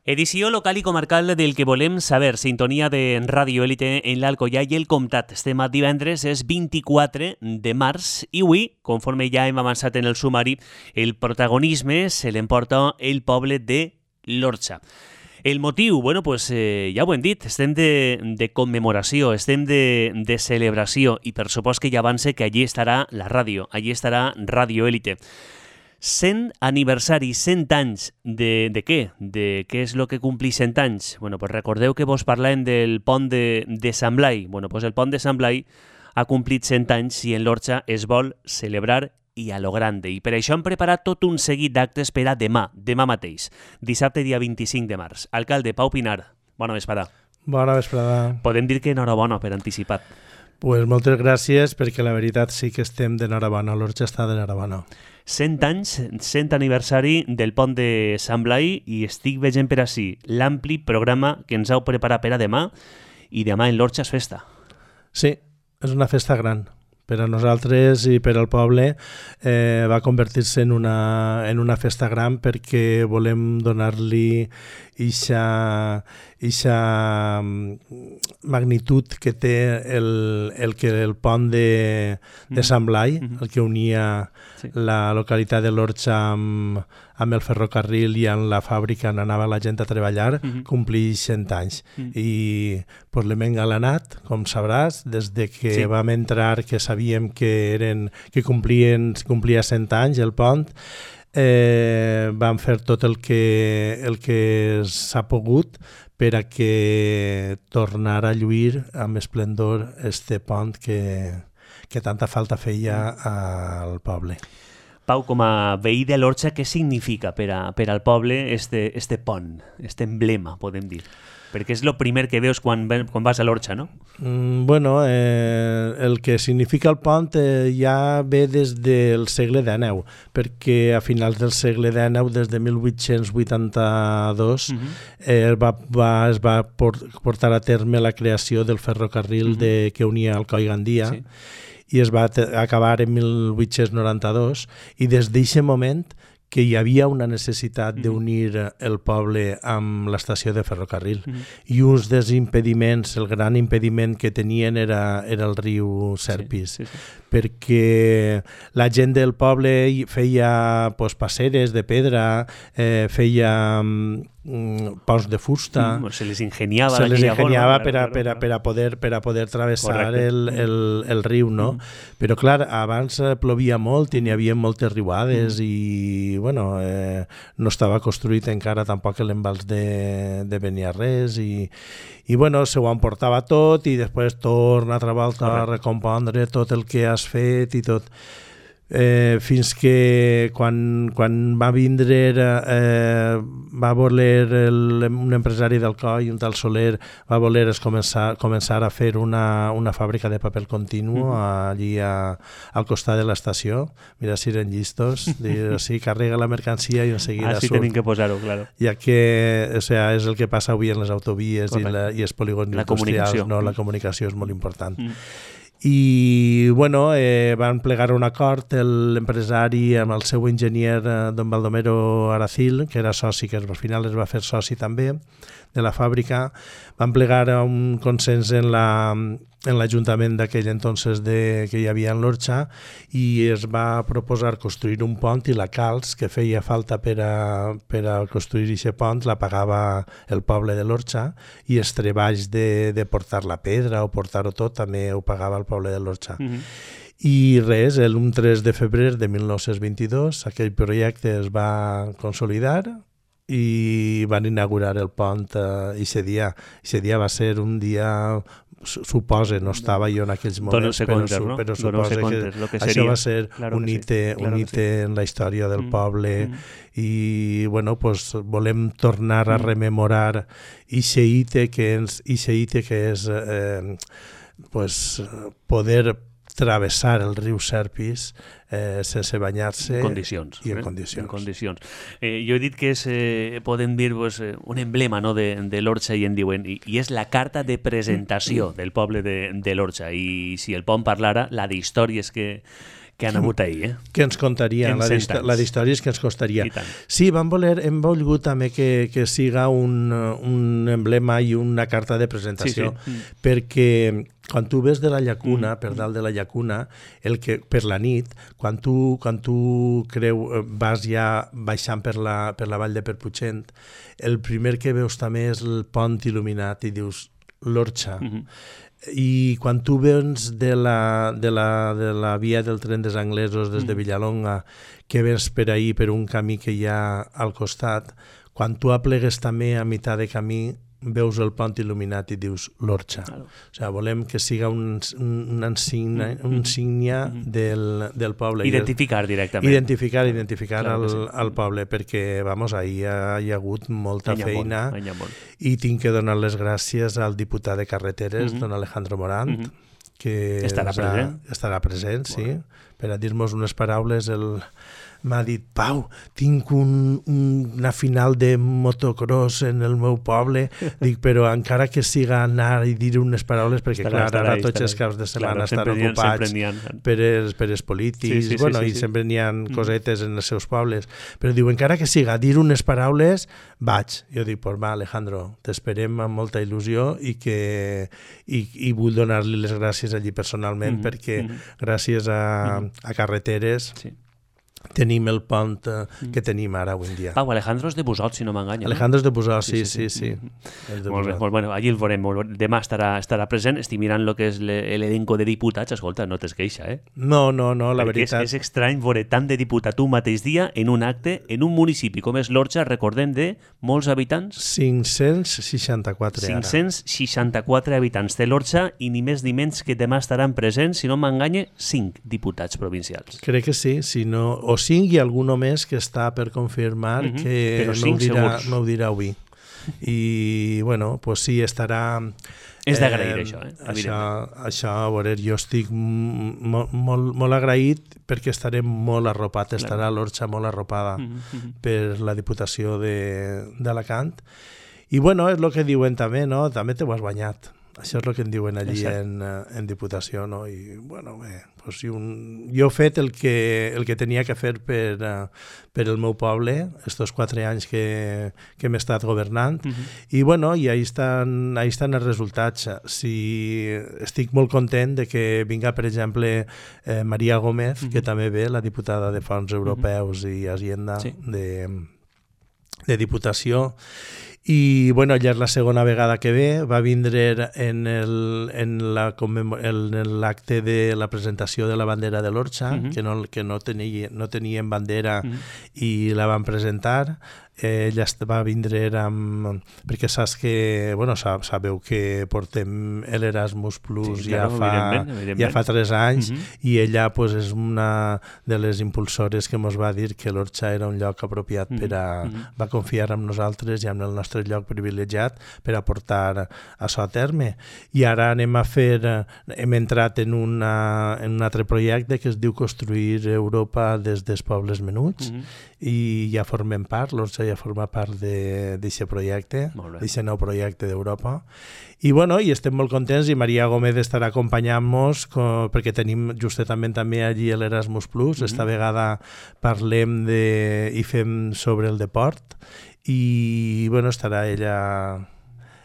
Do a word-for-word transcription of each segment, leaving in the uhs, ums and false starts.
Edició local i comarcal del que volem saber. Sintonia de Ràdio Élite en l'Alcoià i el Comtat. Estem a divendres, és vint-i-quatre de març i avui, conforme ja hem avançat en el sumari, el protagonisme se l'emporta el poble de l'Orxa. El motiu, bueno, pues, eh, ja ho hem dit, estem de, de commemoració, estem de, de celebració i per supost que ja avance que allí estarà la ràdio, allí estarà Ràdio Élite. cent aniversari, cent anys de, de què? De què és el que complís cent anys? Bueno, pues recordeu que vos parlem del pont de, de Sant Blai. Bueno, pues el pont de Sant Blai ha complit cent anys i en l'Orxa es vol celebrar i a lo grande. I per això hem preparat tot un seguit d'actes per a demà, demà mateix, dissabte dia vint-i-cinc de març. Alcalde Pau Pinar, bona vesprada. Bona vesprada. Podem dir que enhorabona per anticipat. Pues moltes gràcies, perquè la veritat sí que estem d'enhorabona, l'Orxa està d'enhorabona. cent anys, cent aniversari del pont de Sant Blai i estic veient per ací l'ampli programa que ens heu preparat per a demà i demà en l'Orxa és festa. Sí, és una festa gran. Per a nosaltres i per al poble eh, va convertir-se en una, en una festa gran perquè volem donar-li ixa, ixa magnitud que té el, el, que el pont de, de Sant Blai, mm-hmm. el que unia sí. la localitat de l'Orxa amb, amb el ferrocarril i en la fàbrica on anava la gent a treballar, mm-hmm. complix cent anys. Mm-hmm. I pues, l'hem engalanat, com sabràs, des de que sí. vam entrar, que sabíem que, eren, que complien, complia cent anys el pont, eh, vam fer tot el que, el que s'ha pogut per a que tornara a lluir amb esplendor este pont que, que tanta falta feia al poble. Pau, com a veí de l'Orxa, què significa per, a, per al poble este, este pont, este emblema, podem dir? Perquè és el primer que veus quan, quan vas a l'Orxa, no? Mm, bueno, eh, el que significa el pont eh, ja ve des del segle dinou, perquè a finals del segle dinou, des de mil vuit-cents vuitanta-dos, uh-huh. eh, va, va, es va portar a terme la creació del ferrocarril uh-huh. de, que unia Alcoi i Gandia, sí. i es va acabar en mil vuit-cents noranta-dos, i des d'aquest moment que hi havia una necessitat mm-hmm. d'unir el poble amb l'estació de ferrocarril. Mm-hmm. I uns dels impediments, el gran impediment que tenien era, era el riu Serpis, sí, sí, sí. perquè la gent del poble feia pues, passeres de pedra, eh, feia mm, ponts de fusta. Mm, se les ingeniava. Se les ingeniava per a, per a, per a poder, per a poder travessar el, el, el riu, no? Mm. Però clar, abans plovia molt i n'hi havia moltes riuades mm. i bueno, eh, no estava construït encara tampoc l'embals de, de Beniarrés i, i bueno, se ho emportava tot i després torna altra volta a recompondre tot el que has fet i tot. Eh, fins que quan, quan va vindre eh, va voler el, un empresari d'Alcoi, un tal Soler, va voler es començar, començar a fer una, una fàbrica de paper continu mm-hmm. allí a, al costat de l'estació. Mira si eren llistos, dir, sí, carrega la mercancia i en seguida surt. Ah, sí, tenim que posar-ho, claro. Ja que o sea, és el que passa avui en les autovies i, la, i els polígons la industrials, no? La comunicació és molt important. Mm. I bueno, eh, van plegar un acord l'empresari amb el seu enginyer eh, don Baldomero Aracil, que era soci, que al final es va fer soci també de la fàbrica. Van plegar un consens en la en l'Ajuntament d'aquell entonces de, que hi havia en l'Orxa i es va proposar construir un pont i la calç que feia falta per a, per a construir aquest pont la pagava el poble de l'Orxa i els treballs de, de portar la pedra o portar-ho tot també ho pagava el poble de l'Orxa. Mm-hmm. I res, el tres de febrer de mil nou-cents vint-i-dos aquell projecte es va consolidar i van inaugurar el pont eh, i aquest dia. Aquest dia va ser un dia, suposa, no estava jo en aquells moments, però, compte, no? però suposa que, que això seria. Va ser claro un hite, sí, claro un hite sí. en la història del mm. poble mm. i bueno, pues, volem tornar a rememorar ixe hite que és, ixe hite que és eh, pues, poder travessar el riu Serpis eh, sense banyar-se en condicions, i en eh? condicions. En condicions. Eh, jo he dit que és, eh, podem dir, pues, un emblema, no, de, de l'Orxa i en diuen, i, i és la carta de presentació del poble de, de l'Orxa, i si el pont parlara, la d'històries que, que han hagut ahir, eh? Que ens contarien, la, la d'històries que ens costaria. Sí, vam voler, hem volgut també que, que siga un, un emblema i una carta de presentació, sí, sí. perquè quan tu ves de la llacuna, mm. per dalt de la llacuna, el que, per la nit, quan tu, quan tu creu, vas ja baixant per la, per la vall de Perputxent, el primer que veus també és el pont il·luminat i dius l'Orxa. Mm-hmm. I quan tu vens de la, de, la, de la via del tren dels anglesos des de Villalonga, que vens per ahir per un camí que hi ha al costat, quan tu aplegues també a meitat de camí veus el pont il·luminat i dius l'Orxa. Claro. O sigui, volem que siga un, un, insígnia, un insígnia del, del poble. Identificar directament. Identificar, identificar claro el, sí. el poble, perquè, vamos, ahir ha, hi ha hagut molta Anya feina molt, i tinc que donar les gràcies al diputat de Carreteres, uh-huh. don Alejandro Morant, uh-huh. que estarà present, ha, estarà present sí, bueno. per a dir-nos unes paraules. El m'ha dit, Pau, tinc un, un, una final de motocross en el meu poble, dic, però encara que siga anar i dir unes paraules, perquè estarà, clar, ara tots els caps de setmana claro, estan ocupats ha, per, els, per els polítics, sí, sí, bueno, sí, sí, i sí. sempre n'hi ha cosetes en els seus pobles, però diu, encara que siga dir unes paraules, vaig. Jo dic, pues va, Alejandro, t'esperem amb molta il·lusió i que i, i vull donar-li les gràcies allí personalment, mm-hmm. perquè mm-hmm. gràcies a, mm-hmm. a Carreteres sí. tenim el pont uh, que tenim ara avui en dia. Pau, Alejandro és de Busot, si no m'enganya. Alejandro és de Busot, sí, sí, sí. sí, sí. sí. De molt bé, molt bueno, allí el veurem. Demà estarà, estarà present. Estic mirant el que és l'elenco de diputats. Escolta, no t'es queixa, eh? No, no, no, la Perquè veritat. És, és estrany veure tant de diputat un mateix dia en un acte, en un municipi com és l'Orxa, recordem, de molts habitants? cinc-cents seixanta-quatre ara. cinc-cents seixanta-quatre habitants de l'Orxa i ni més ni menys que demà estaran presents, si no m'enganya, cinc diputats provincials. Crec que sí, si no... o cinc i alguno més que està per confirmar uh-huh. que Però no ho, dirà, no ho dirà avui. I, bueno, pues sí, estarà... És d'agrair, eh, això, eh? Això, això, a veure, jo estic molt, molt, molt agraït perquè estaré molt arropat, clar. Estarà l'Orxa molt arropada uh-huh. per la Diputació d'Alacant. I, bueno, és el que diuen també, no? També te ho has guanyat. Això és el que en diuen allí en, en Diputació, no? I, bueno, bé, pues, un, jo he fet el que, el que tenia que fer per, per el meu poble, estos quatre anys que, que hem estat governant, uh-huh. i, bueno, i ahí estan, ahí estan els resultats. Si estic molt content de que vinga, per exemple, eh, Maria Gómez, uh-huh. que també ve, la diputada de Fons Europeus uh-huh. i Hacienda sí. de, de Diputació, i bueno, ja és la segona vegada que ve, va vindre en el, en la, en l'acte de la presentació de la bandera de l'Orxa, uh-huh. que, no, que no, tenia, no tenien bandera uh-huh. i la van presentar. Eh, ella va vindre amb... perquè saps que, bueno, sabeu que portem l'Erasmus Plus sí, ja, claro, fa, evidentment, evidentment. ja fa tres anys uh-huh. i ella pues, és una de les impulsores que ens va dir que l'Orxa era un lloc apropiat uh-huh. per a... Uh-huh. va confiar en nosaltres i en el nostre lloc privilegiat per a portar això a terme. I ara anem a fer... hem entrat en, una, en un altre projecte que es diu Construir Europa des dels pobles menuts uh-huh. i ja formem part, l'Orxa ja forma part d'aquest projecte, d'aquest nou projecte d'Europa. I bueno, i estem molt contents i Maria Gómez estarà acompanyant-nos perquè tenim justament també allí l'Erasmus Plus. Mm-hmm. Esta vegada parlem de, i fem sobre el deport i bueno, estarà ella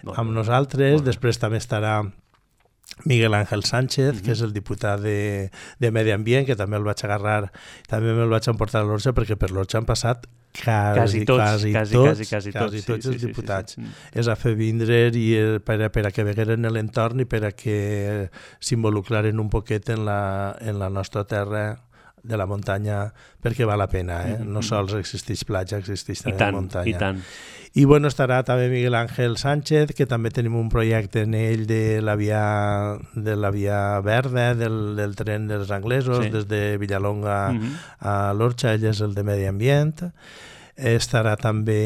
molt amb bé. Nosaltres. Molt Després bé. També estarà Miguel Ángel Sánchez, uh-huh. que és el diputat de, de Medi Ambient, que també el vaig agarrar, també me'l vaig emportar a l'Orxa, perquè per l'Orxa han passat quasi, quasi tots, quasi, quasi, tots, quasi, quasi, quasi tots sí, els sí, diputats. Sí, sí, sí. És a fer vindre i per a, per a que vegueren en l'entorn i per a que s'involucraren un poquet en la, en la nostra terra de la muntanya, perquè val la pena, eh? No sols existeix platja, existeix també tant, muntanya. I tant. I bueno, estarà també Miguel Ángel Sánchez, que també tenim un projecte en ell de la via, de la via verda, del, del tren dels anglesos, sí. des de Villalonga uh-huh. a l'Orxa, ell és el de Medi Ambient. Estarà també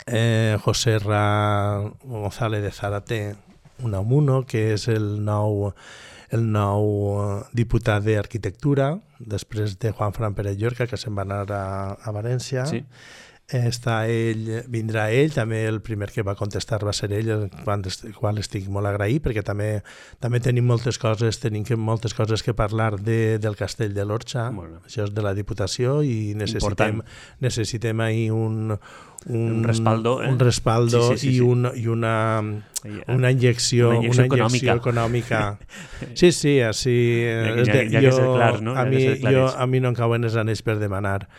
eh, José Ra González de Zárate Unamuno, que és el nou el nou diputat d'Arquitectura, després de Juan Fran Pérez Llorca, que se'n va anar a, a València. Sí. està ell, vindrà ell, també el primer que va contestar va ser ell, quan, quan estic molt agraït, perquè també també tenim moltes coses, tenim que, moltes coses que parlar de, del Castell de l'Orxa, bueno. Això és de la Diputació i necessitem, necessitem ahir un, un, un respaldo, eh? un respaldo sí, sí, sí, i, un, i una, una injecció, una injecció, una injecció econòmica. Sí, sí, així... Ja, ja, ja jo, que ser clar, no? A mi, jo, a mi no em cauen els anells per demanar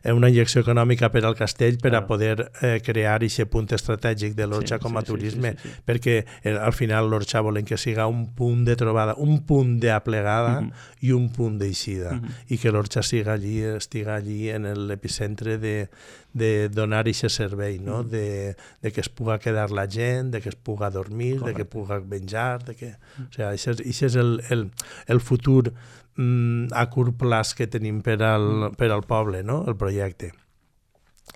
una injecció econòmica per al castell per claro. a poder eh, crear aquest punt estratègic de l'Orxa sí, com a sí, turisme, sí, sí, sí. perquè eh, al final l'Orxa volen que siga un punt de trobada, un punt d'aplegada uh -huh. i un punt d'eixida, uh -huh. i que l'Orxa siga allí, estiga allí en l'epicentre de, de donar aquest servei, no? Mm. de, de que es puga quedar la gent, de que es puga dormir, correcte. De que puga menjar, de que... Mm. O sigui, això és, això és el, el, el futur mm, a curt plaç que tenim per al, per al poble, no? El projecte.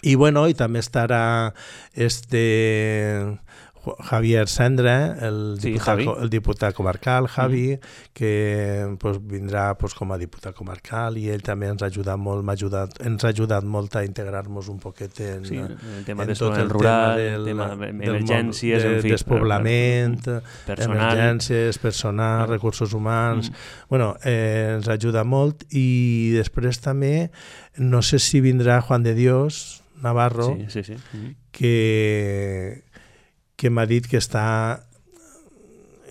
I bueno, i també estarà este... Javier Sendra, el, sí, diputat, Javi. el diputat comarcal, Javi, mm. que pues, vindrà pues, com a diputat comarcal i ell també ens ha ajudat molt, m'ha ajudat, ens ha ajudat molt a integrar-nos un poquet en, sí, el tema en de tot el rural, tema del, tema d'emergències, de, en fi, despoblament, personal. emergències, personal, mm. recursos humans... Mm. Bueno, eh, ens ajuda molt i després també, no sé si vindrà Juan de Dios Navarro, sí, sí, sí. Mm. que... que m'ha dit que està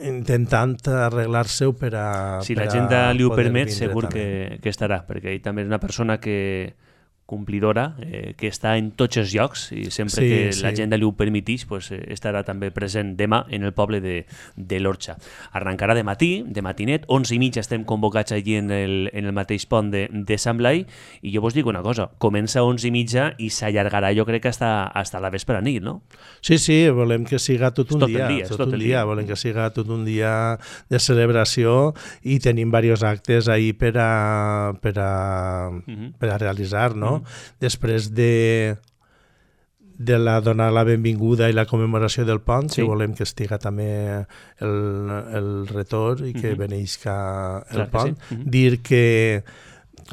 intentant arreglar-se-ho per a... Si per l'agenda li ho permet, segur que, que estarà, perquè ell també és una persona que complidora, eh, que està en tots els llocs i sempre sí, que sí. l'agenda li ho permetís pues, eh, estarà també present demà en el poble de, de l'Orxa. Arrencarà de matí, de matinet, onze i mitja estem convocats allí en el, en el mateix pont de, de Sant Blai i jo vos dic una cosa, comença a onze i mitja i s'allargarà jo crec que hasta, hasta la vespre nit, no? Sí, sí, volem que siga tot un tot dia, dia, tot, tot un el dia, dia, volem que siga tot un dia de celebració i tenim diversos actes ahí per a, per a, uh-huh. per a realitzar, no? Uh-huh. Després de, de la donar la benvinguda i la commemoració del pont, sí. que volem que estiga també el, el retorn i que uh-huh. beneixca el Clar pont. Sí. Uh-huh. Dir que,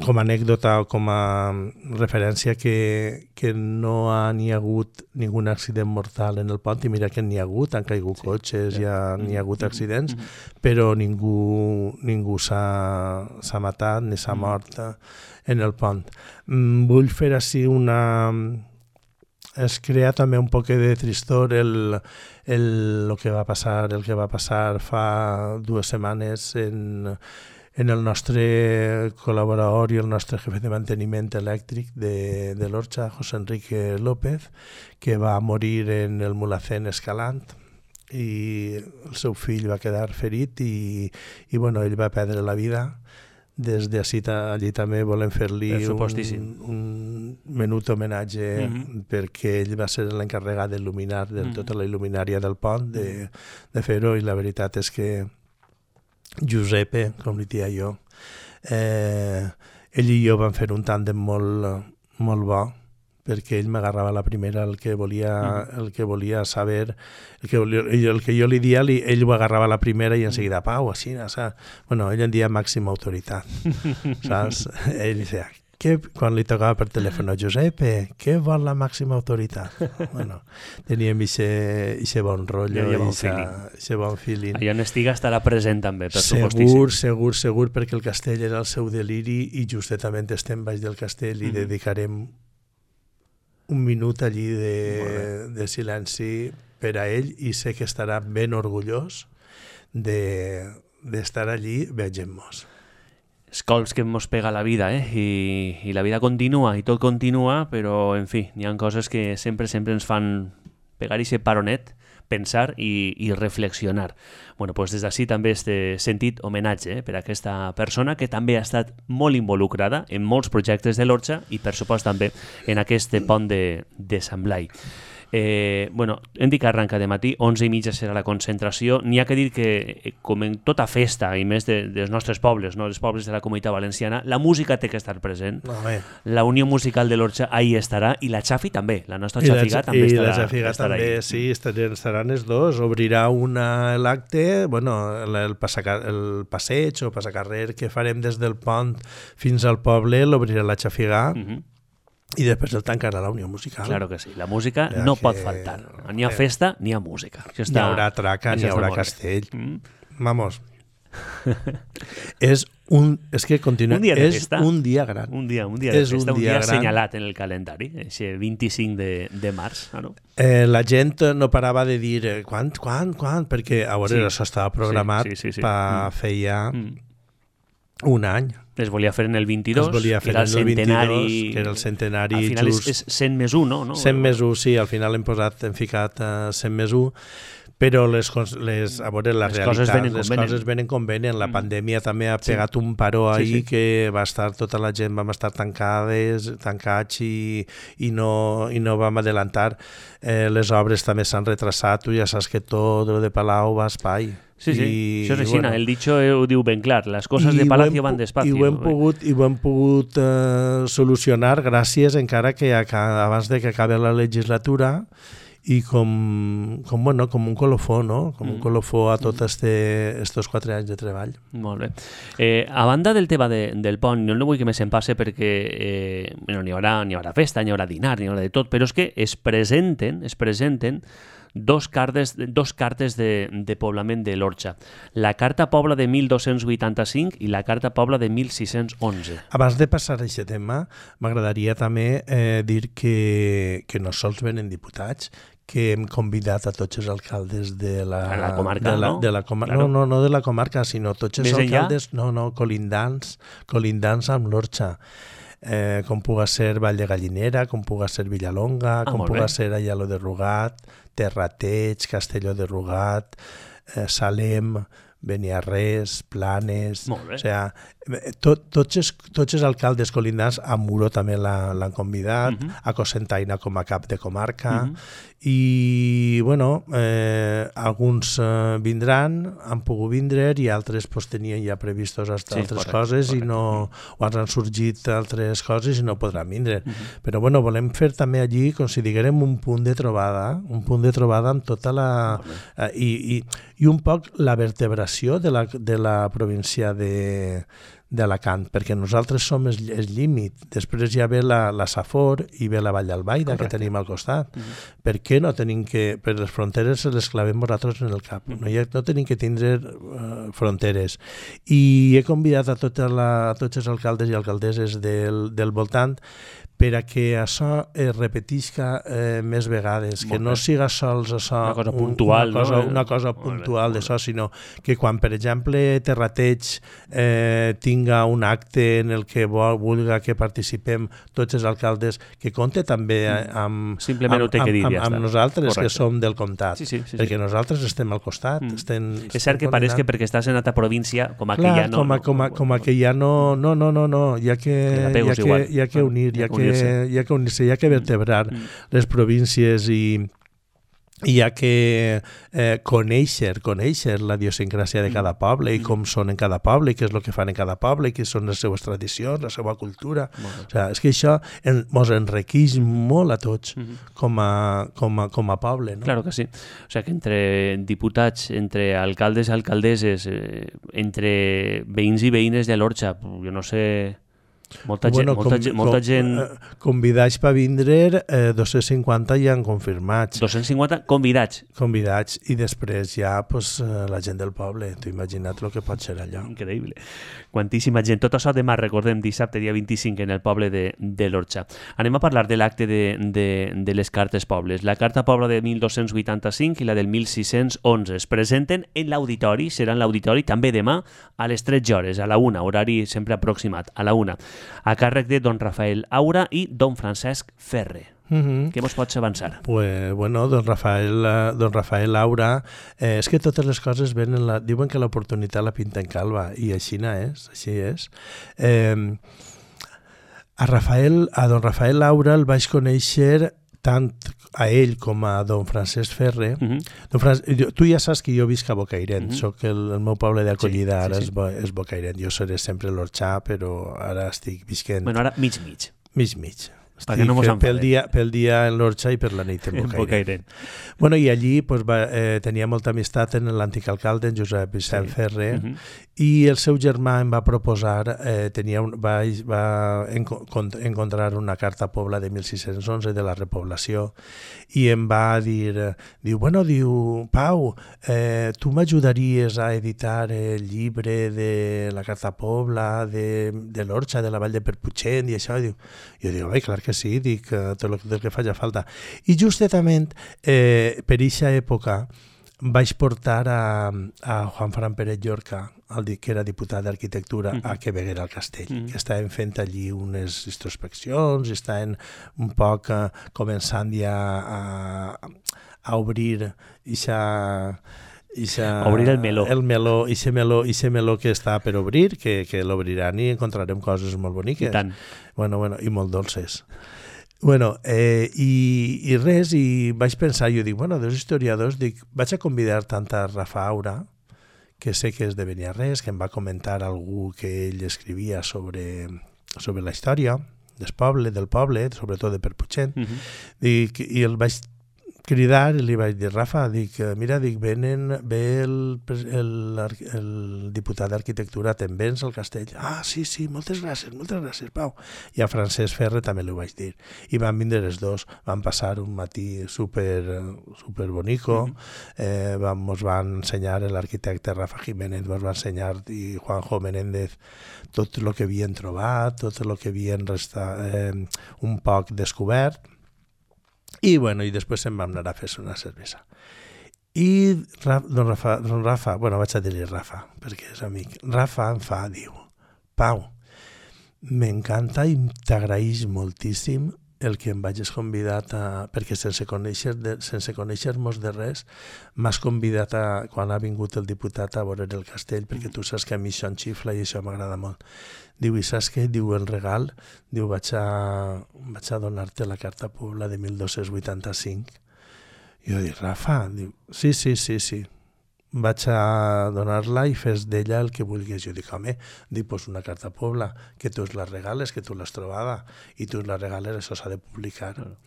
com a anècdota o com a referència, que, que no ha ni hagut ningú accident mortal en el pont, i mira que n'hi ha hagut, han caigut sí. cotxes, sí. ja n'hi ha hagut accidents, uh-huh. però ningú, ningú s'ha, s'ha matat ni s'ha uh-huh. mort en el pont. Vull fer així una... Es crea també un poc de tristor el, el, el que va passar, el que va passar fa dues setmanes en, en el nostre col·laborador i el nostre jefe de manteniment elèctric de, de l'Orxa, José Enrique López, que va morir en el Mulhacén escalant i el seu fill va quedar ferit i, i bueno, ell va perdre la vida. Des d'ací allí també volem fer-li un, un menut homenatge mm-hmm. perquè ell va ser l'encarregat d'il·luminar de mm-hmm. tota la il·luminària del pont, de, de fer-ho, i la veritat és que Giuseppe, com li dia jo, eh, ell i jo vam fer un tàndem molt, molt bo, perquè ell m'agarrava la primera el que volia, mm. el que volia saber, el que, volia, el que jo li dia, li, ell ho agarrava la primera i enseguida, pau, així, saps? Bueno, ell en dia màxima autoritat, saps? Ell deia, què, quan li tocava per telèfon, Giuseppe, què vol la màxima autoritat? Bueno, teníem aquest bon rotllo, aquest bon feeling. Allà on estiga estarà present també, per segur, supostíssim. Segur, segur, segur, perquè el castell era el seu deliri i justament estem baix del castell i mm. dedicarem un minut allí de, de silenci per a ell i sé que estarà ben orgullós de, d'estar allí veient-nos. Els colps que ens pega la vida, eh? I, i la vida continua i tot continua, però, en fi, hi ha coses que sempre, sempre ens fan pegar aquest paronet, pensar i, i reflexionar. Bueno, doncs des d'ací també este sentit homenatge eh, per a aquesta persona que també ha estat molt involucrada en molts projectes de l'Orxa i per supost també en aquest pont de, de Sant Blai. Eh, bueno, hem dit que arranca de matí, onze i mitja serà la concentració. N'hi ha que dir que, com en tota festa, i més de, dels nostres pobles, no? Els pobles de la Comunitat Valenciana, la música té que estar present. No, la Unió Musical de l'Orxa ahí estarà, i la Xafi també, la nostra Xafiga també I estarà. I la Xafiga també, ahí. Sí, estaran, estaran els dos. Obrirà una, l'acte, bueno, el, el, passacar, el passeig o passacarrer que farem des del pont fins al poble, l'obrirà la Xafiga. Uh-huh. I després el tancarà la Unió Musical. Claro que sí, la música ja no que... pot faltar. Ni a festa ni a música. Això està... Ni haurà traca, ni haurà castell. Mm. Vamos. és un... És que continua... Un dia de és festa. Un dia gran. Un dia, un dia de és festa, un dia, un dia assenyalat en el calendari, aquest vint-i-cinc de, de març. Ah, no? Eh, la gent no parava de dir eh, quan, quan, quan, perquè a veure, sí. això estava programat sí, sí, sí, sí. per mm. feia mm. un any. Es volia fer en el vint-i-dos, es volia fer que era el centenari... vint-i-dos, que era el centenari al final just... és, és cent més un, no? cent més un, sí, al final hem posat, hem ficat uh, cent més un, però les, les, a veure, la les realitat, coses venen les com coses venen com venen. La mm. pandèmia també ha pegat sí. un paró ahí sí, sí. que va estar, tota la gent vam estar tancades, tancats i, i, no, i no vam adelantar. Eh, les obres també s'han retrasat, tu ja saps que tot el de Palau va a espai. Sí, sí, I, això és així, bueno, el dicho ho diu ben clar, les coses de Palacio van despacio. I ho hem pogut, i ho hem pogut uh, solucionar gràcies encara que abans de que acabi la legislatura i com, com, bueno, com un colofó, no? Com mm. un colofó a tots este, estos quatre anys de treball. Molt bé. Eh, a banda del tema de, del pont, no, no vull que me se'n passe perquè eh, bueno, n'hi haurà, n'hi haurà festa, n'hi haurà dinar, n'hi haurà de tot, però és que es presenten, es presenten dos cartes, dos cartes de, de poblament de l'Orxa. La Carta Pobla de mil dos-cents vuitanta-cinc i la Carta Pobla de mil sis-cents onze. Abans de passar a aquest tema, m'agradaria també eh, dir que, que no sols venen diputats, que hem convidat a tots els alcaldes de la, la comarca, de la, no? De la com claro. No, no, no de la comarca, sinó tots els Més alcaldes, enllà? no, no, colindants, colindants amb l'Orxa. Eh, com puga ser Vall de Gallinera, com puga ser Villalonga, ah, com puga ser Ayalo de Rugat, Terrateig, Castelló de Rugat, eh, Salem, Beniarrés, Planes... Molt bé. O sea, tot, tots, els, tots els alcaldes colindants, a Muro també l'han convidat, uh -huh. a Cocentaina com a cap de comarca, uh -huh. i, bueno, eh, alguns eh, vindran, han pogut vindre, i altres pues, tenien ja previstos altres sí, correcte, coses, correcte. I no, o han sorgit altres coses i no podran vindre. Uh -huh. Però, bueno, volem fer també allí, com si diguérem, un punt de trobada, un punt de trobada amb tota la... Eh, i, i, i un poc la vertebració de la, de la província de d'Alacant, perquè nosaltres som el, el límit. Després ja ve la, la Safor i ve la Vall d'Albaida, que tenim al costat. Uh -huh. Per què no tenim que... Per les fronteres se les clavem nosaltres en el cap. Uh -huh. No, hi ha, no tenim que tindre uh, fronteres. I he convidat a, tota la, a tots els alcaldes i alcaldesses del, del voltant per a que això es repetisca eh, més vegades, que no siga sols això, una cosa puntual, un, una cosa, no? una cosa puntual d'això, sinó que quan, per exemple, Terrateig eh, tinga un acte en el que vol, vulga que participem tots els alcaldes, que compte també amb, simplement amb, ho té que dir, amb, ja amb, amb nosaltres, correcte. Que som del comtat, sí, sí, sí, perquè sí. nosaltres estem al costat. Mm. Estem, és cert que pareix que perquè estàs en altra província, com a clar, que ja no... Com a, com a, com a que ja no... No, no, no, no, hi ha que, hi ha que, hi ha que unir, hi ha que hi ha que unir-se, hi ha que vertebrar mm. les províncies i hi ha que eh, conèixer, conèixer la idiosincràsia de cada poble i com són en cada poble, i què és el que fan en cada poble, i què són les seues tradicions, la seva cultura. O sigui, és que això ens enriqueix molt a tots mm -hmm. com, a, com, a, com a poble. No? Claro que sí. O sigui que entre diputats, entre alcaldes i alcaldesses, eh, entre veïns i veïnes de l'Orxa, jo no sé... Molta gent, bueno, molta, com, gent, molta com, gent... Eh, convidats per vindre, eh, dos-cents cinquanta ja han confirmats. dos-cents cinquanta convidats. Convidats, i després ja pues, eh, la gent del poble. T'ho imagina't el que pot ser allò. Increïble. Quantíssima gent. Tot això demà, recordem, dissabte, dia vint-i-cinc, en el poble de, de l'Orxa. Anem a parlar de l'acte de, de, de les cartes pobles. La Carta Pobla de mil dos-cents vuitanta-cinc i la del mil sis-cents onze es presenten en l'auditori, serà en l'auditori també demà a les tretze hores, a la una, horari sempre aproximat, a la una. A càrrec de don Rafael Aura i don Francesc Ferre. Uh-huh. Què mos pots avançar? Pues, bueno, don Rafael, don Rafael Aura, eh, és que totes les coses venen, la, diuen que l'oportunitat la pinta en calva, i així no és, així és. Eh, a, Rafael, a don Rafael Aura el vaig conèixer tant a ell com a don Francesc Ferre. Uh-huh. Don Fran... Tu ja saps que jo visc a Bocairent, uh-huh. soc el, el meu poble d'acollida, sí, ara sí, sí. És, bo, és Bocairent. Jo seré sempre l'Orxà, però ara estic visquent... Bueno, ara mig-mig. Mig-mig. Perquè no mos pel enfadem. dia, pel dia en l'Orxa i per la nit en En Bocairent. Bocairent. Bueno, i allí pues, va, eh, tenia molta amistat en l'antic alcalde, en Josep Vicent Sí. Ferrer, Mhm. i el seu germà em va proposar, eh, tenia un, va, va enco encontrar una carta Pobla de mil sis-cents onze de la repoblació i em va dir, eh, diu, bueno, diu, Pau, eh, tu m'ajudaries a editar el llibre de la carta Pobla, de, de l'Orxa, de la Vall de Perputxent i això, i diu, jo dic, oi, clar que sí, dic, eh, tot el, el que faci falta. I justament, eh, per eixa època, vaig portar a, a Juan Fran Pérez Llorca, el que era diputat d'Arquitectura, uh -huh. a que veguera al castell, uh -huh. que estaven fent allí unes introspeccions, i estaven un poc uh, començant ja a, a obrir ixa, ixa, obrir el meló. El meló, ixe meló, ixe meló que està per obrir, que, que l'obriran i encontrarem coses molt boniques. I tant. Bueno, bueno, i molt dolces. Bueno, eh, i, i res, i vaig pensar, jo dic, bueno, dos historiadors, dic, vaig a convidar tant a Rafa Aura, que sé que és de Beniarrés, que em va comentar algú que ell escrivia sobre, sobre la història del poble, del poble, sobretot de Perputxent, uh -huh. dic, i el vaig cridar i li vaig dir, Rafa, dic, mira, dic, venen, ve el, el, el diputat d'Arquitectura, te'n vens al castell? Ah, sí, sí, moltes gràcies, moltes gràcies, Pau. I a Francesc Ferrer també li ho vaig dir. I van vindre els dos, van passar un matí super, super bonico, mm -hmm. eh, van, mos van ensenyar l'arquitecte Rafa Jiménez, mos va ensenyar, i Juanjo Menéndez, tot el que havien trobat, tot el que havien restat, eh, un poc descobert. I, bueno, i després se'n vam anar a fer una cervesa. I don Rafa, don Rafa, bueno, vaig a dir-li Rafa, perquè és amic. Rafa em fa, diu, Pau, m'encanta i t'agraïs moltíssim el que em vagis convidat a... perquè sense conèixer de, sense conèixer-nos de res, m'has convidat a, quan ha vingut el diputat a veure el castell, perquè tu saps que a mi això em xifla i això m'agrada molt. Diu, i saps què? Diu, el regal, diu, vaig a, vaig a donar-te la carta Pobla de mil dos-cents vuitanta-cinc. I jo dic, Rafa, diu, sí, sí, sí, sí. Vaig a donar-la i fes d'ella el que vulguis. Jo dic, home, dic, pues una carta Pobla, que tu la regales, que tu l'has trobada, i tu la regales, això s'ha de publicar. Mm.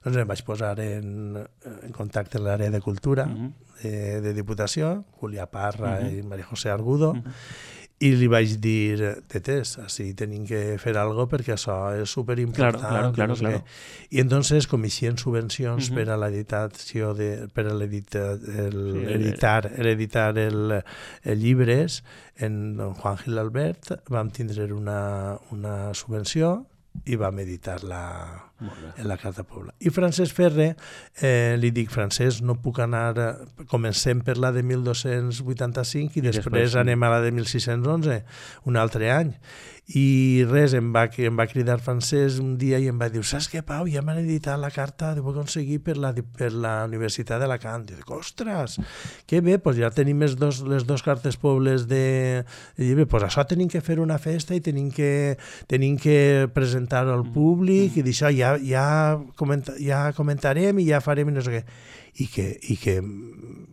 Doncs em vaig posar en, en contacte amb l'àrea de cultura, mm -hmm. de, de Diputació, Julià Parra mm -hmm. i Maria José Argudo, mm -hmm. i li vaig dir, tetes, així tenim que fer alguna cosa perquè això és superimportant. Claro, claro, claro, no sé claro. I entonces comissien subvencions uh -huh. per a l'editació de, per a l'editar el, sí, editar, el, editar el, el llibres. En don Juan Gil Albert vam tindre una, una subvenció i vam editar la, en la Carta Pobla. I Francesc Ferrer, eh, li dic, Francesc, no puc anar, comencem per la de mil dos-cents vuitanta-cinc i, I després, després sí. anem a la de mil sis-cents onze, un altre any. I res, em va, em va cridar Francesc un dia i em va dir, saps què, Pau, ja m'han editat la carta, ho he aconseguit per la, per la Universitat d'Alacant. I dic, ostres, que bé, doncs ja tenim les dos, les dos cartes pobles de llibre, doncs això tenim que fer una festa i tenim que, tenim que presentar-ho al públic mm. i d'això ja, ja, comenta, ja comentarem i ja farem i no sé què. I que, i que,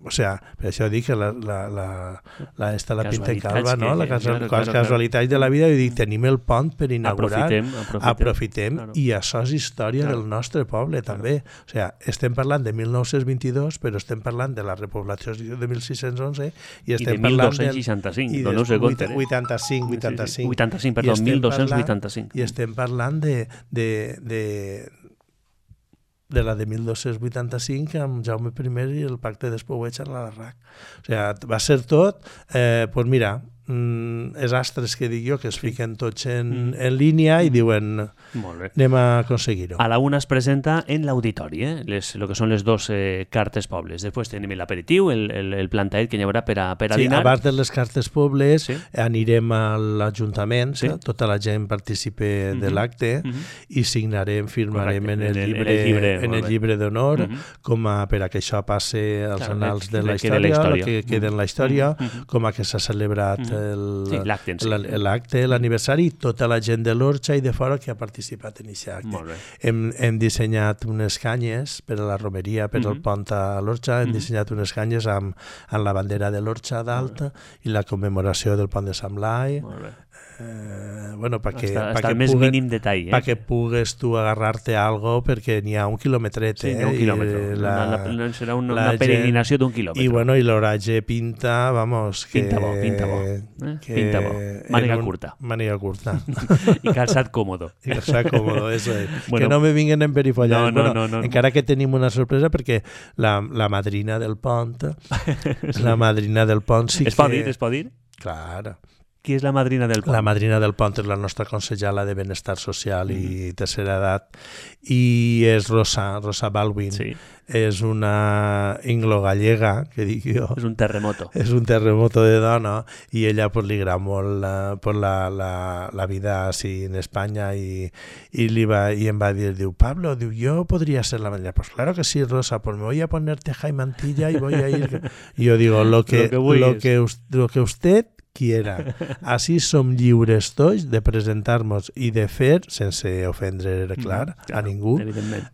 o sea, per això dic que la, la, la, la esta la pinta i calva, no? La casa, claro, claro, casualitats claro. de la vida, i dic, tenim el pont per inaugurar, aprofitem, aprofitem, aprofitem claro. I això és història claro. del nostre poble claro. també. O sea, estem parlant de mil nou-cents vint-i-dos, però estem parlant de la repoblació de mil sis-cents onze i estem I de mil dos-cents seixanta-cinc, parlant del, no sé compte, eh? vuitanta-cinc, vuitanta-cinc. Sí, sí. vuitanta-cinc, perdó, mil dos-cents vuitanta-cinc. I estem parlant de, de, de de la de mil dos-cents vuitanta-cinc amb Jaume primer i el pacte d'Espouets a la Larrac. O sigui, va ser tot, eh, doncs mira, mm, els astres que dic jo, que es fiquen tots en, mm. en línia i diuen, anem a aconseguir-ho. A la una es presenta en l'auditori, eh? les, lo que són les dues eh, cartes pobles. Després tenim l'aperitiu, el, el, el plantaet que hi haurà per a, per a sí, dinar. Abans de les cartes pobles sí. anirem a l'Ajuntament, sí. tota la gent participa mm -hmm. de l'acte mm -hmm. i signarem, firmarem Correcte. en el llibre, en el llibre, en el llibre d'honor, mm -hmm. com a, per a que això passe als claro, annals de la història, que, que quede en la història, mm -hmm. com a que s'ha celebrat mm -hmm. Sí, l'acte en si. L'acte, l'aniversari, tota la gent de l'Orxa i de fora que ha participat en aquest acte. Molt bé. Hem, hem dissenyat unes canyes per a la romeria, per al Mhm. pont a l'Orxa, hem Mhm. dissenyat unes canyes amb, amb la bandera de l'Orxa dalt i la commemoració del pont de Sant Blai. Molt bé. Eh, bueno, perquè, Està, perquè està el més puguen, mínim detall, eh? perquè pugues tu agarrar-te a algo, perquè n'hi ha un quilòmetret. Sí, eh? n'hi ha un quilòmetre. I la, la, la, serà una, la una peregrinació d'un quilòmetre. I, bueno, i l'oratge pinta, vamos... Que, Pinta bo, pinta bo. Eh? Que Pinta bo. Màniga un, curta. Màniga curta. I calçat còmodo. I calçat còmodo, eso es. Bueno, que no me vinguen en perifollades. no, no, bueno, no, no. Encara que tenim una sorpresa, perquè la, la madrina del pont, la madrina del pont sí es que... pot dir, es pot dir? Clar. Qui és la madrina del pont? La madrina del pont és la nostra consellera de Benestar Social mm. i Tercera Edat i és Rosa, Rosa Baldwin. Sí. És una inglo-gallega, que dic jo. És un terremoto. És un terremoto de dona i ella pues, li agrada molt la, pues, la, la, la vida així en Espanya i, i, li va, i em va dir, diu, Pablo, diu, yo podría ser la madrina. Pues claro que sí, Rosa, pues me voy a poner teja y mantilla y voy a ir. Y yo digo, lo que, lo que, lo que, lo que usted quiera. Així som lliures tots de presentar-nos i de fer, sense ofendre, clar, mm, clar a ningú,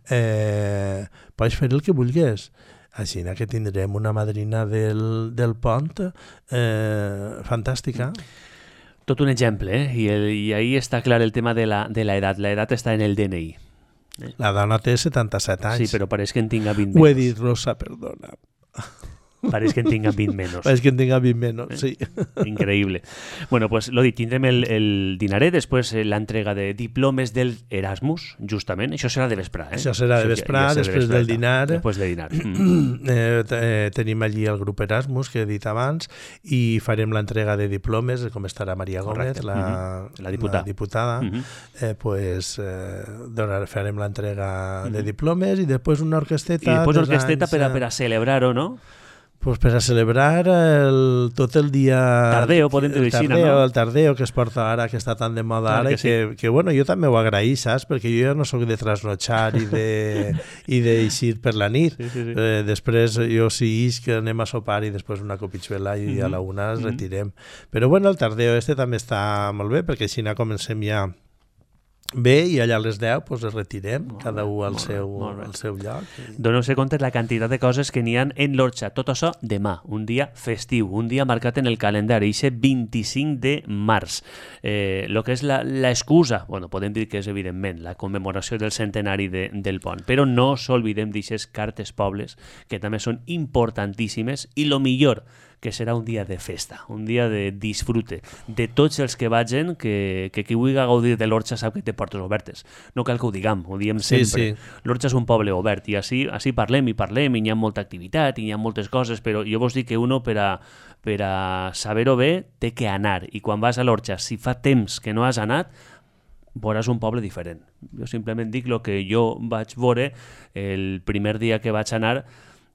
eh, pots fer el que vulguis. Així que tindrem una madrina del, del pont eh, fantàstica. Tot un exemple, eh? I, el, i ahí està clar el tema de la, de la edat. La edat està en el D N I. Eh? La dona té setanta-set anys. Sí, però pareix que en tinga vint Ho menys. he dit, Rosa, perdona. Pareix que en tinga vint menys. Pareix que en tinga vint menys, sí. Increïble. Bueno, pues lo dit, tindrem el, el dinaret, després l'entrega de diplomes del Erasmus, justament. Això serà de vesprà, eh? Això serà de vesprà, ja, ja després de del dinar. Després del dinar. Mm. Eh, eh, tenim allí el grup Erasmus, que he dit abans, i farem l'entrega de diplomes, com estarà Maria Gómez, la, mm-hmm. la diputada. La diputada. Mm-hmm. eh, pues, eh, donar, farem l'entrega mm-hmm. de diplomes i després una orquesteta. I després una orquesteta anys, per, a, per a celebrar-ho, no? Pues per a celebrar el, tot el dia... Tardeo, podem dir així, no? El tardeo que es porta ara, que està tan de moda clar ara, que, que, sí. que, que bueno, jo també ho agraï, saps? Perquè jo ja no sóc de trasnotxar i de i d'eixir per la nit. Sí, sí, sí. Eh, després jo sí ix que anem a sopar i després una copitxuela i mm-hmm. a la una es retirem. Mm-hmm. Però bueno, el tardeo este també està molt bé, perquè així comencem ja bé i allà a les deu pues, es retirem, molt cada un al seu, al seu lloc. Doneu-se compte la quantitat de coses que n'hi ha en l'Orxa. Tot això demà, un dia festiu, un dia marcat en el calendari, aquest vint-i-cinc de març. Eh, lo que és l'excusa, bueno, podem dir que és evidentment la commemoració del centenari de, del pont, però no s'olvidem d'aixes cartes pobles que també són importantíssimes i lo millor que serà un dia de festa, un dia de disfrute de tots els que vagin, que, que qui vulgui gaudir de l'Orxa sap que té portes obertes. No cal que ho diguem, ho diem sempre. Sí, sí. L'Orxa és un poble obert i així, així parlem i parlem i hi ha molta activitat i hi ha moltes coses, però jo vos dic que uno per a, per a saber-ho bé té que anar i quan vas a l'Orxa, si fa temps que no has anat, veuràs un poble diferent. Jo simplement dic el que jo vaig veure el primer dia que vaig anar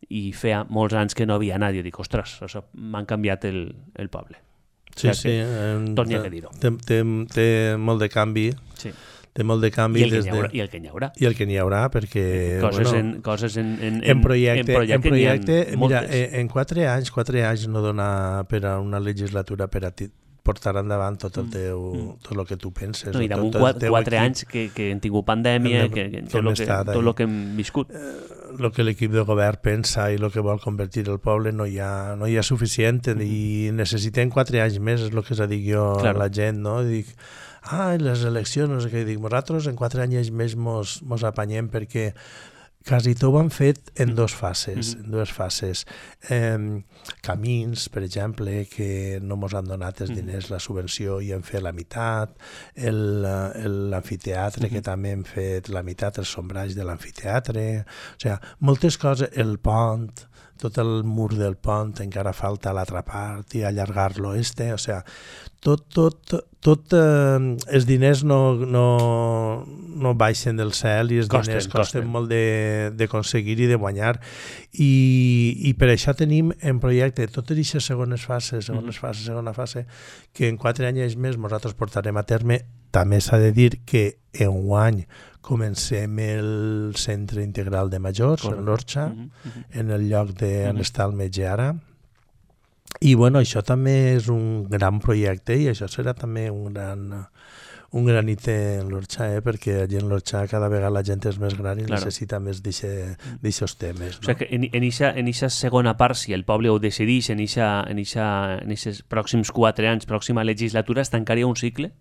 i feia molts anys que no havia anat. Jo dic, ostres, m'han canviat el, el poble. Sí, o sigui, sí. Eh, torni a dir-ho. Té, té, té molt de canvi. Sí. Té molt de canvi. I el, des que haurà, de... I el que n'hi haurà. I el que n'hi haurà, perquè... Coses, bueno, en, coses en, en, en, projecte, en projecte, en projecte mira, en, en quatre anys, quatre anys no dona per a una legislatura per a ti portar endavant tot el teu, mm. tot el que tu penses. No, I damunt tot, tot quatre, quatre anys que, que hem tingut pandèmia, que, que, tot, el que, tot el que hem viscut. El eh, que l'equip de govern pensa i el que vol convertir el poble no hi ha, no hi ha suficient mm. i necessitem quatre anys més, és el que s'ha dit jo claro. a la gent, no? Dic, ah, les eleccions, no sé què, dic, nosaltres en quatre anys més mos, mos apanyem perquè quasi tot ho han fet en dues fases, mm-hmm. en dues fases. Eh, camins, per exemple, que no ens han donat els diners, la subvenció, i hem fet la meitat, l'amfiteatre, mm-hmm. que també hem fet la meitat, el sombrall de l'amfiteatre, o sigui, moltes coses, el pont, tot el mur del pont, encara falta l'altra part i allargar-lo este, o sigui, tot, tot, tot eh, els diners no, no, no baixen del cel i els costen, diners costen, costen. molt d'aconseguir i de guanyar i, i per això tenim en projecte totes aquestes segones fases, segones fases, segona fase, que en quatre anys més nosaltres portarem a terme. També s'ha de dir que enguany comencem el centre integral de majors, en l'Orxa, uh-huh, uh-huh. en el lloc d'on uh-huh. està el metge ara, I bueno, això també és un gran projecte i això serà també un gran, un granit en l'Orxa, eh? Perquè allà en l'Orxa cada vegada la gent és més gran i claro. necessita més d'aixòs temes. No? O sigui que en aquesta segona part, si el poble ho decideix, en aquests pròxims quatre anys, pròxima legislatura, es tancaria un cicle?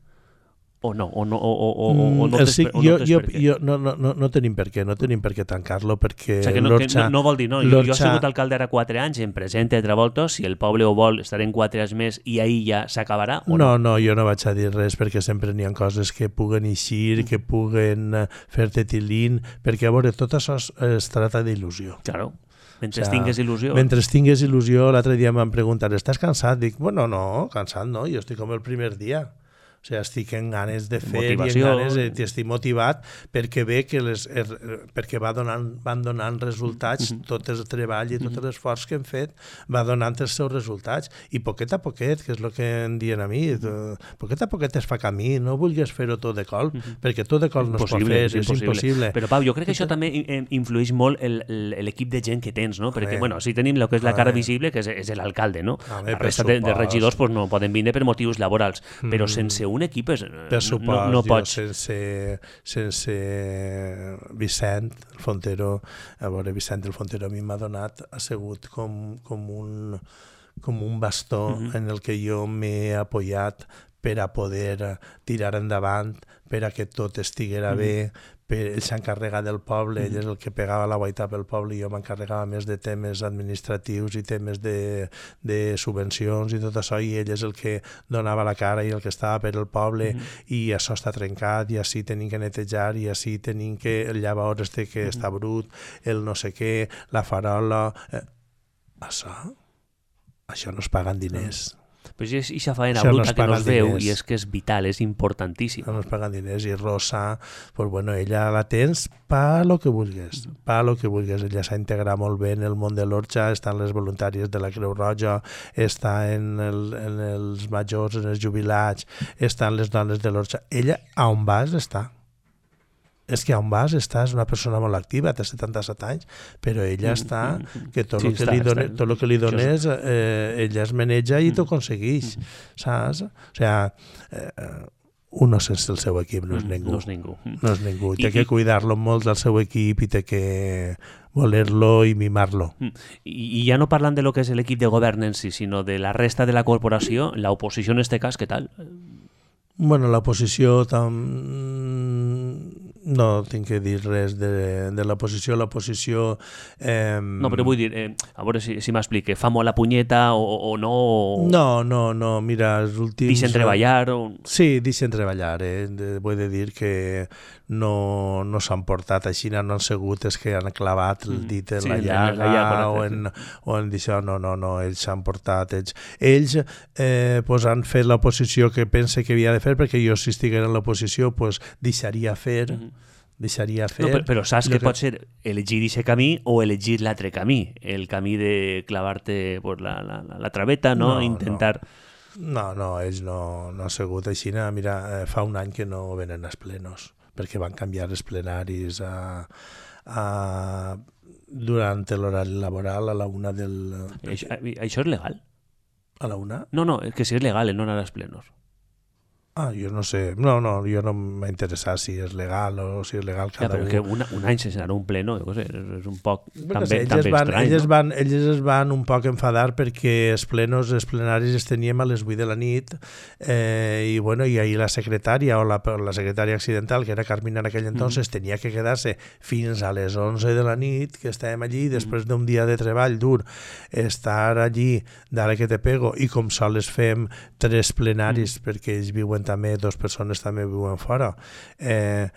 O no? O no, o, o, o, o no, tens, sí, o no jo, tens jo, per què? Jo, no, no, no, no tenim per què, no tenim per què tancar-lo, perquè o sigui no, l'Orxa... No, no vol dir, no, jo, jo he sigut alcalde ara quatre anys, em presente altra volta, si el poble ho vol, estarem quatre anys més i ahir ja s'acabarà, o no? No, no, jo no vaig a dir res, perquè sempre n'hi ha coses que puguen eixir, mm. que puguen fer-te tilín, perquè a veure, tot això es, es trata d'il·lusió. Claro. Mentre o sea, tingues il·lusió. Mentre tingues il·lusió, l'altre dia em van preguntar, estàs cansat? Dic, bueno, no, cansat no, jo estic com el primer dia. O sigui, estic en ganes de fer Motivació. i en ganes de, estic motivat perquè ve que les, er, perquè va donant, van donant resultats, mm -hmm. tot el treball i tot mm -hmm. l'esforç que hem fet va donant els seus resultats i poquet a poquet, que és el que em diuen a mi, poquet a poquet es fa camí, no vulguis fer-ho tot de col, mm -hmm. perquè tot de col no es pot fer, és, és impossible. Però Pau, jo crec que això també influeix molt l'equip de gent que tens, no? Perquè, bueno, si tenim el que és la cara visible, que és, és l'alcalde, no? La resta de, de regidors pues, no poden vindre per motius laborals, però sense un equip és, no, no pots. Sense, sense Vicent el Fontero, a veure, Vicent el Fontero a mi m'ha donat, ha sigut com, com, un, com un bastó mm-hmm. en el que jo m'he apoyat per a poder tirar endavant, per a que tot estiguera mm-hmm. bé, ell s'encarrega del poble, mm-hmm. ell és el que pegava la guaita pel poble i jo m'encarregava més de temes administratius i temes de, de subvencions i tot això, i ell és el que donava la cara i el que estava per el poble mm-hmm. i això està trencat i així tenim que netejar i així tenim que el llavors este que mm-hmm. està brut, el no sé què, la farola... Eh, això, això no es paguen diners. Però és aquesta faena bruta no que no es veu diners. I és que és vital, és importantíssim. No es paguen diners i Rosa, pues bueno, ella la tens pa lo que vulguis, pa lo que vulguis. Ella s'ha integrat molt bé en el món de l'Orxa, està en les voluntàries de la Creu Roja, està en, el, en els majors, en els jubilats, està en les dones de l'Orxa. Ella, a on vas, està. És que on vas està, és una persona molt activa, té setanta-set anys, però ella està, que tot sí, el que, està, li, done, tot el que li dones, eh, ella es maneja i t'ho aconsegueix, saps? O sigui, eh, uno sense el seu equip no és ningú. No és ningú. No és ningú. I té que cuidar-lo molt del seu equip i té que voler-lo i mimar-lo. I, I ja no parlant de lo que és l'equip de govern en si, sinó de la resta de la corporació, l'oposició en este cas, què tal? Bueno, l'oposició tam... no tinc que dir res de, de l'oposició. L'oposició... Eh... No, però vull dir, eh, a veure si, si m'explique, fa molt la punyeta o, o no? O... No, no, no, mira, els últims... Deixen treballar? O... Sí, deixen treballar, eh? Vull dir que no, no s'han portat així, no han segut els que han clavat el dit en sí, la llaga, la llaga o en, o en això, no, no, no, ells s'han portat, ells, ells eh, pues han fet l'oposició que pense que havia de fer, perquè jo si estigués en l'oposició pues deixaria fer, mm -hmm. deixaria fer... No, però, però saps que, que pot ser elegir aquest camí o elegir l'altre camí, el camí de clavar-te pues, la, la, la, la traveta, no? no Intentar... No, no, no ells no, no han sigut així. Mira, eh, fa un any que no venen els plenos, perquè van canviar els plenaris a, a, durant l'horari laboral a la una del... Això, això és legal? A la una? No, no, que si és legal, no anar als plenos. Ah, jo no sé, no, no, jo no m'ha interessat si és legal o si és legal cada ja, però un. Una, un any sense anar a un pleno, jo què sé, és un poc bueno, també, sé, ells també van, estrany. Ells, no? van, ells es van un poc enfadar perquè els plenos, els plenaris els teníem a les vuit de la nit eh, i bueno, i ahir la secretària o la, la secretària accidental, que era Carmina en aquell entonces, mm. tenia que quedar-se fins a les onze de la nit, que estàvem allí, després mm. d'un dia de treball dur, estar allí, d'ara que te pego, i com sols fem tres plenaris, mm. perquè ells viuen també, dos persones també viuen fora, eh,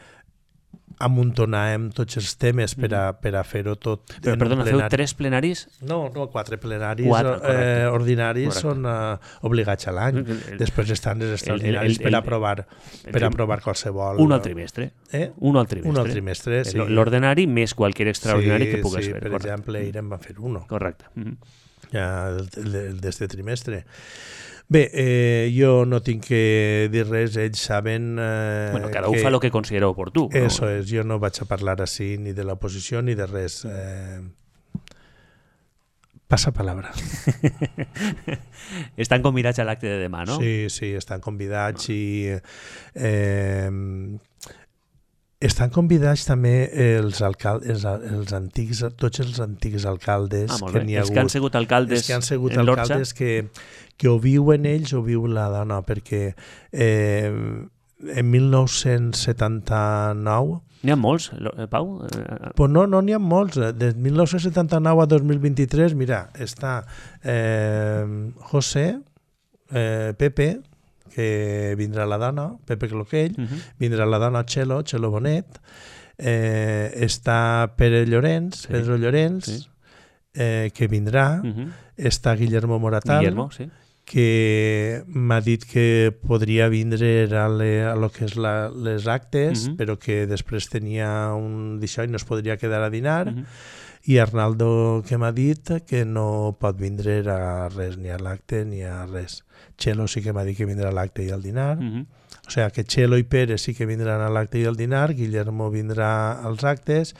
amuntonàvem tots els temes per a, per a fer-ho tot. Però, perdona, feu tres plenaris? No, no, quatre plenaris quatre, eh, ordinaris correcte. Són uh, obligats a l'any. Després estan els extraordinaris el, el, el, per aprovar per el, aprovar qualsevol... Un al trimestre. Eh? Un al trimestre. Un al trimestre, sí. L'ordinari més qualsevol extraordinari sí, que pugues sí, fer. Per correcte. exemple, ahir en van fer uno. Correcte. Mm-hmm. Ja, el, el, el d'este trimestre. Bé, eh, jo no tinc que dir res, ells saben... Eh, bueno, cada un fa el que considera oportú. Eso no? És, jo no vaig a parlar així ni de l'oposició ni de res. Eh, Passa palabra. Estan convidats a l'acte de demà, no? Sí, sí, estan convidats i eh, estan convidats també els alcaldes, els, els antics, tots els antics alcaldes ah, que n'hi ha els hagut. que han sigut alcaldes els que han sigut en alcaldes que, que ho viuen ells o viu la dona, perquè eh, en mil nou-cents setanta-nou n'hi ha molts, Pau? Pues no, no n'hi ha molts. De mil nou-cents setanta-nou a dos mil vint-i-tres, mira, està eh, José, eh, Pepe, que vindrà la dona, Pepe Cloquell, uh-huh. vindrà la dona Txelo, Txelo Bonet, eh, està Pere Llorenç, sí. Pedro Llorenç, sí. eh, que vindrà, uh-huh. està Guillermo Moratal, Guillermo, sí. que m'ha dit que podria vindre a, le, a lo que és la, les actes, uh-huh. però que després tenia un d'això i no es podria quedar a dinar, uh-huh. i Arnaldo que m'ha dit que no pot vindre a res, ni a l'acte ni a res. Txelo sí que m'ha dit que vindrà a l'acte i al dinar, uh-huh. o sigui que Txelo i Pere sí que vindran a l'acte i al dinar, Guillermo vindrà als actes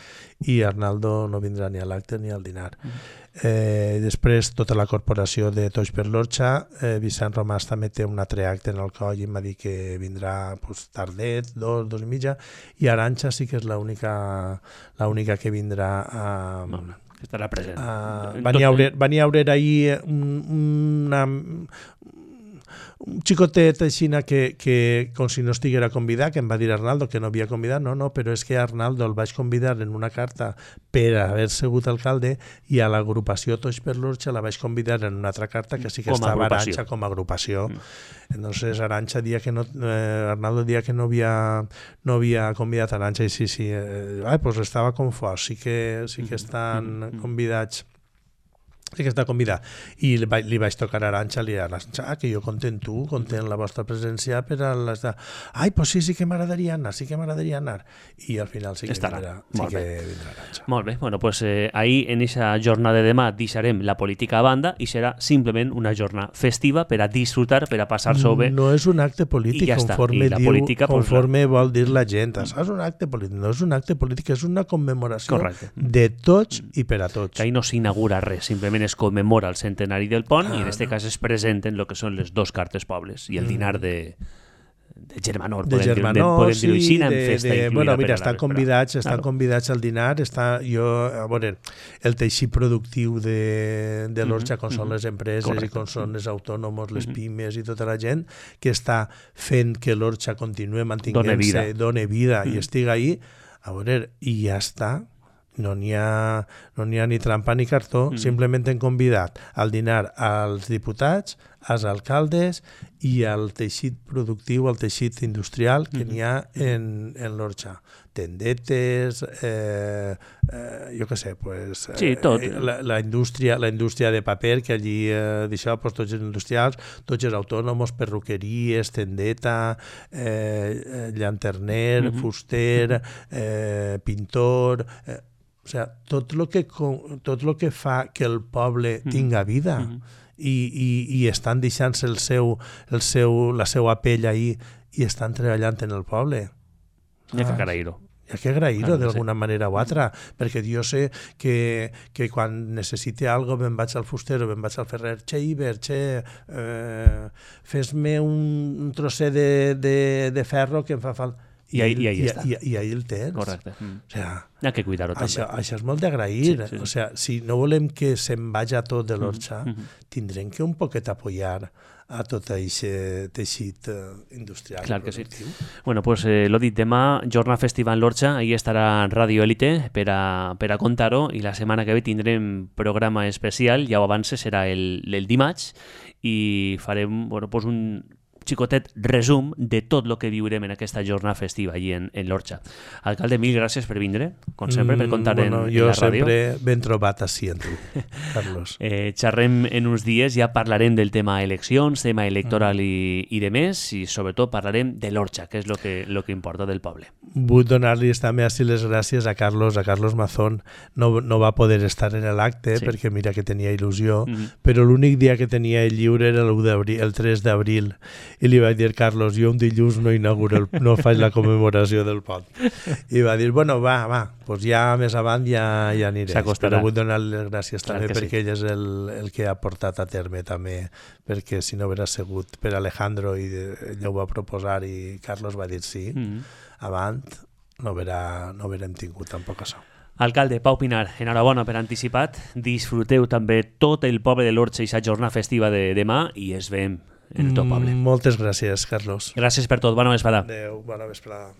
i Arnaldo no vindrà ni a l'acte ni al dinar. Uh-huh. Eh, després tota la corporació de Tots per l'Orxa, eh, Vicent Romàs també té un altre acte en el coll i m'ha dit que vindrà pues, tardet, dos, dos i mitja, i Arantxa sí que és l'única l'única que vindrà a... No, no, que estarà present. A, van a haure ahir una... un xicotet així que, que com si no estiguera convidat, que em va dir Arnaldo que no havia convidat, no, no, però és que Arnaldo el vaig convidar en una carta per haver sigut alcalde i a l'agrupació Tots per l'Orxa la vaig convidar en una altra carta que sí que com estava Arantxa com a agrupació. Mm. Entonces Arantxa dia que no, eh, Arnaldo dia que no havia, no havia convidat a Arantxa i sí, sí, eh, ai, pues estava confós, sí que, sí que estan mm-hmm. convidats. Sí que està convidat. I li, va, li vaig tocar a Arantxa, li a Arantxa, ah, que jo content tu, content la vostra presència per a les... Ai, pues sí, sí que m'agradaria anar, sí que m'agradaria anar. I al final sí que estarà. vindrà, sí que vindrà Arantxa. Molt bé, bueno, pues eh, ahir en aquesta jornada de demà deixarem la política a banda i serà simplement una jornada festiva per a disfrutar, per a passar-s'ho bé. No és un acte polític, conforme, diu, política, conforme pues, vol dir la gent. És un acte polític, no és un acte polític, és una commemoració Correcte. De tots i per a tots. Que ahir no s'inaugura res, simplement es commemora el centenari del pont ah, i en aquest no. cas es presenten el que són les dos cartes pobles i el dinar de, de Germanor, de podem, Germanor, dir, podem sí, dir-ho així, de, festa de, bueno, mira, estan convidats, estan claro. convidats al dinar, està, jo, a veure, el teixit productiu de, de l'Orxa, com mm-hmm. són les empreses Correcte. I com són els autònoms, les mm-hmm. pimes i tota la gent que està fent que l'Orxa continue mantinguent-se, done vida mm-hmm. i estigui ahí, a veure, i ja està. No n'hi ha, no n'hi ha ni trampa ni cartó, mm. simplement hem convidat al dinar als diputats, als alcaldes i al teixit productiu, al teixit industrial que mm-hmm. n'hi ha en, en l'Orxa. Tendetes, eh, eh, jo què sé, pues, sí, tot. Eh, la, la, indústria, la indústria de paper, que allí eh, d'això, pues, tots els industrials, tots els autònoms, perruqueries, tendeta, eh, llanterner, mm-hmm. fuster, eh, pintor... Eh, o sigui, tot el que, tot lo que fa que el poble tinga vida mm-hmm. i, i, i estan deixant-se el seu, el seu, la seva pell ahí i estan treballant en el poble. Hi ha que agrair-ho. Hi ha que agrair-ho ah, d'alguna sí. manera o altra, perquè jo sé que, que quan necessite alguna cosa me'n vaig al fuster o me'n vaig al ferrer, che, Iber, che, eh, fes-me un, un trosset de, de, de ferro que em fa falta. I, I, ahí, i ahí i, està. I, i ahí el tens. Correcte. Mm. O sea, hi ha que cuidar-ho també. Això, això és molt d'agrair. Sí, sí, sí. O sea, si no volem que se'n vagi tot de l'Orxa, mm-hmm. tindrem que un poquet apoyar a tot aquest teixit industrial. Clar que sí. Bueno, pues eh, l'ho dit, demà, jornada festiva en l'Orxa, ahí estarà Radio Élite per a, per a contar-ho i la setmana que ve tindrem programa especial, ja ho avance, serà el, el dimarts i farem bueno, pues un xicotet resum de tot el que viurem en aquesta jornada festiva allí en, en l'Orxa. Alcalde, mil gràcies per vindre, com sempre, per contar mm, bueno, en, en la ràdio. Jo sempre ben trobat així en tu, Carlos. eh, xerrem en uns dies, ja parlarem del tema eleccions, tema electoral mm. i, i de més, i sobretot parlarem de l'Orxa, que és el que, lo que importa del poble. Vull donar-li també així les gràcies a Carlos, a Carlos Mazón. No, no va poder estar en l'acte, sí. perquè mira que tenia il·lusió, mm. però l'únic dia que tenia el lliure era el tres d'abril, i li vaig dir, Carlos, jo un dilluns no inauguro, el, no faig la commemoració del pont. I va dir, bueno, va, va, doncs ja més avant ja, ja aniré. Però vull donar-li les gràcies Clar també perquè sí. ell és el, el que ha portat a terme també, perquè si no haguera sigut per Alejandro i ell ho va proposar i Carlos va dir sí, mm. avant no haguera, no haguérem tingut tampoc això. Alcalde, Pau Pinar, enhorabona per anticipat. Disfruteu també tot el poble de l'Orxa i la jornada festiva de demà i es veiem en tot poble. Moltes gràcies, Carlos. Gràcies per tot. Bona vesprada. Adéu, bona vesprada.